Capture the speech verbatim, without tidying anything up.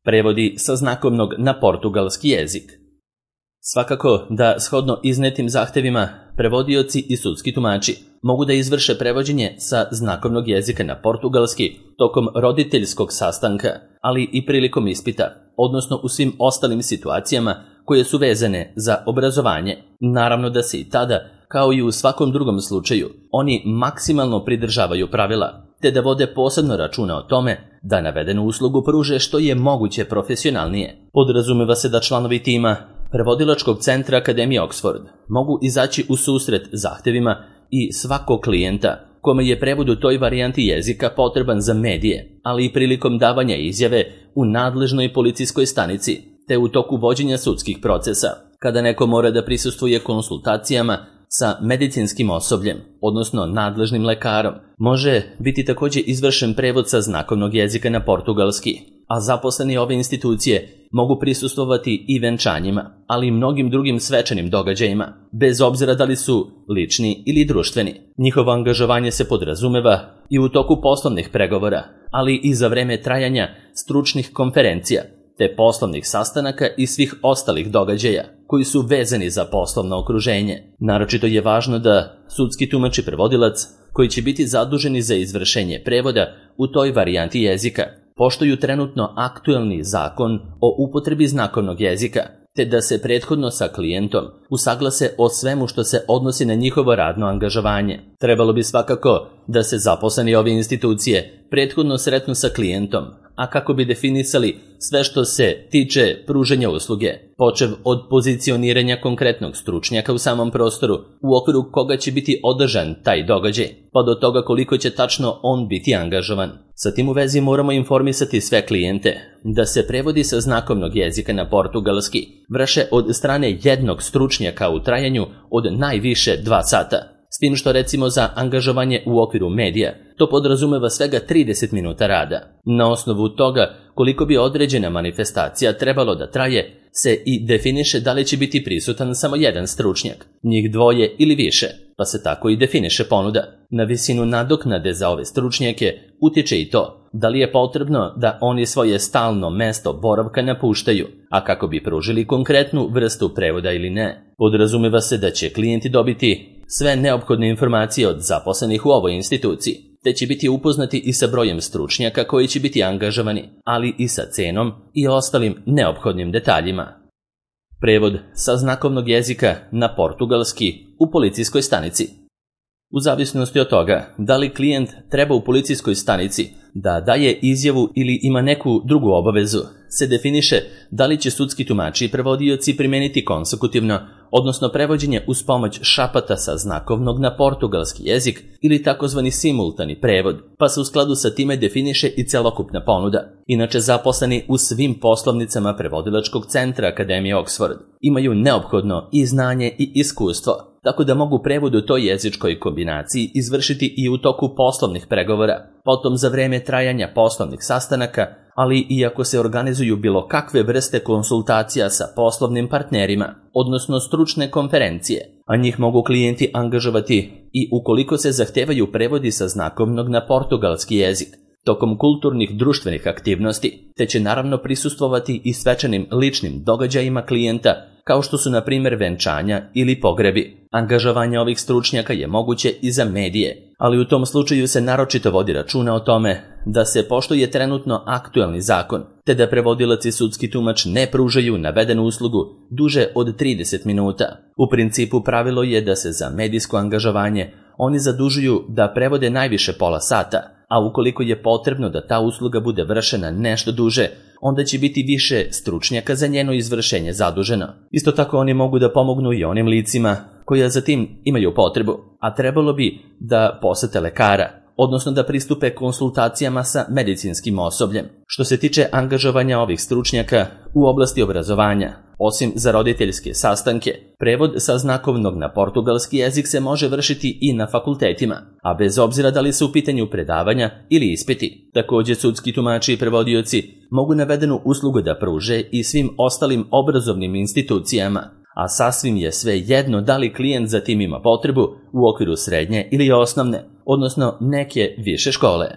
Prevodi sa znakovnog na portugalski jezik. Svakako da, shodno iznetim zahtevima, prevodioci i sudski tumači mogu da izvrše prevođenje sa znakovnog jezika na portugalski tokom roditeljskog sastanka, ali i prilikom ispita, odnosno u svim ostalim situacijama koje su vezane za obrazovanje. Naravno da se i tada, kao i u svakom drugom slučaju, oni maksimalno pridržavaju pravila, te da vode posebno računa o tome da navedenu uslugu pruže što je moguće profesionalnije. Podrazumeva se da članovi tima Prevodilačkog centra Akademije Oxford mogu izaći u susret zahtevima i svakog klijenta kome je prevod u toj varijanti jezika potreban za medije, ali i prilikom davanja izjave u nadležnoj policijskoj stanici, te u toku vođenja sudskih procesa, kada neko mora da prisustvuje konsultacijama sa medicinskim osobljem, odnosno nadležnim lekarom. Može biti također izvršen prevod sa znakovnog jezika na portugalski, a zaposleni ove institucije mogu prisustvovati i venčanjima, ali i mnogim drugim svečanim događajima, bez obzira da li su lični ili društveni. Njihovo angažovanje se podrazumeva i u toku poslovnih pregovora, ali i za vreme trajanja stručnih konferencija, te poslovnih sastanaka i svih ostalih događaja koji su vezani za poslovno okruženje. Naročito je važno da sudski tumač i prevodilac, koji će biti zaduženi za izvršenje prevoda u toj varijanti jezika, poštuju trenutno aktuelni zakon o upotrebi znakovnog jezika, te da se prethodno sa klijentom usaglase o svemu što se odnosi na njihovo radno angažovanje. Trebalo bi svakako da se zaposleni ove institucije prethodno sretnu sa klijentom, a kako bi definisali sve što se tiče pružanja usluge, počev od pozicioniranja konkretnog stručnjaka u samom prostoru u okviru koga će biti održan taj događaj, pa do toga koliko će tačno on biti angažovan. Sa tim u vezi moramo informisati sve klijente da se prevodi sa znakovnog jezika na portugalski vrše od strane jednog stručnjaka u trajanju od najviše dva sata. S tim što recimo za angažovanje u okviru medija to podrazumeva svega trideset minuta rada. Na osnovu toga koliko bi određena manifestacija trebalo da traje, se i definiše da li će biti prisutan samo jedan stručnjak, njih dvoje ili više, pa se tako i definiše ponuda. Na visinu nadoknade za ove stručnjake utiče i to da li je potrebno da oni svoje stalno mesto boravka napuštaju, a kako bi pružili konkretnu vrstu prevoda ili ne. Podrazumeva se da će klijenti dobiti sve neophodne informacije od zaposlenih u ovoj instituciji, te će biti upoznati i sa brojem stručnjaka koji će biti angažovani, ali i sa cenom i ostalim neophodnim detaljima. Prevod sa znakovnog jezika na portugalski u policijskoj stanici. U zavisnosti od toga da li klijent treba u policijskoj stanici da daje izjavu ili ima neku drugu obavezu, se definiše da li će sudski tumači i prevodioci primeniti konsekutivno, odnosno prevođenje uz pomoć šapata sa znakovnog na portugalski jezik ili takozvani simultani prevod, pa se u skladu sa time definiše i celokupna ponuda. Inače, zaposleni u svim poslovnicama Prevodilačkog centra Akademije Oxford imaju neophodno i znanje i iskustvo, tako da mogu prevod u toj jezičkoj kombinaciji izvršiti i u toku poslovnih pregovora, potom za vreme trajanja poslovnih sastanaka, ali i ako se organizuju bilo kakve vrste konsultacija sa poslovnim partnerima, odnosno stručne konferencije, a njih mogu klijenti angažovati i ukoliko se zahtevaju prevodi sa znakovnog na portugalski jezik, tokom kulturnih društvenih aktivnosti, te će naravno prisustvovati i svečanim ličnim događajima klijenta, kao što su na primjer venčanja ili pogrebi. Angažovanje ovih stručnjaka je moguće i za medije, ali u tom slučaju se naročito vodi računa o tome da se poštuje trenutno aktuelni zakon, te da prevodilac i sudski tumač ne pružaju navedenu uslugu duže od trideset minuta. U principu pravilo je da se za medijsko angažovanje oni zadužuju da prevode najviše pola sata, a ukoliko je potrebno da ta usluga bude vršena nešto duže, onda će biti više stručnjaka za njeno izvršenje zaduženo. Isto tako oni mogu da pomognu i onim licima koja za tim imaju potrebu, a trebalo bi da posete lekara, odnosno da pristupe konsultacijama sa medicinskim osobljem. Što se tiče angažovanja ovih stručnjaka u oblasti obrazovanja, osim za roditeljske sastanke, prevod sa znakovnog na portugalski jezik se može vršiti i na fakultetima, a bez obzira da li su u pitanju predavanja ili ispiti. Također sudski tumači i prevodioci mogu navedenu uslugu da pruže i svim ostalim obrazovnim institucijama, a sasvim je sve jedno da li klijent za tim ima potrebu u okviru srednje ili osnovne, odnosno neke više škole.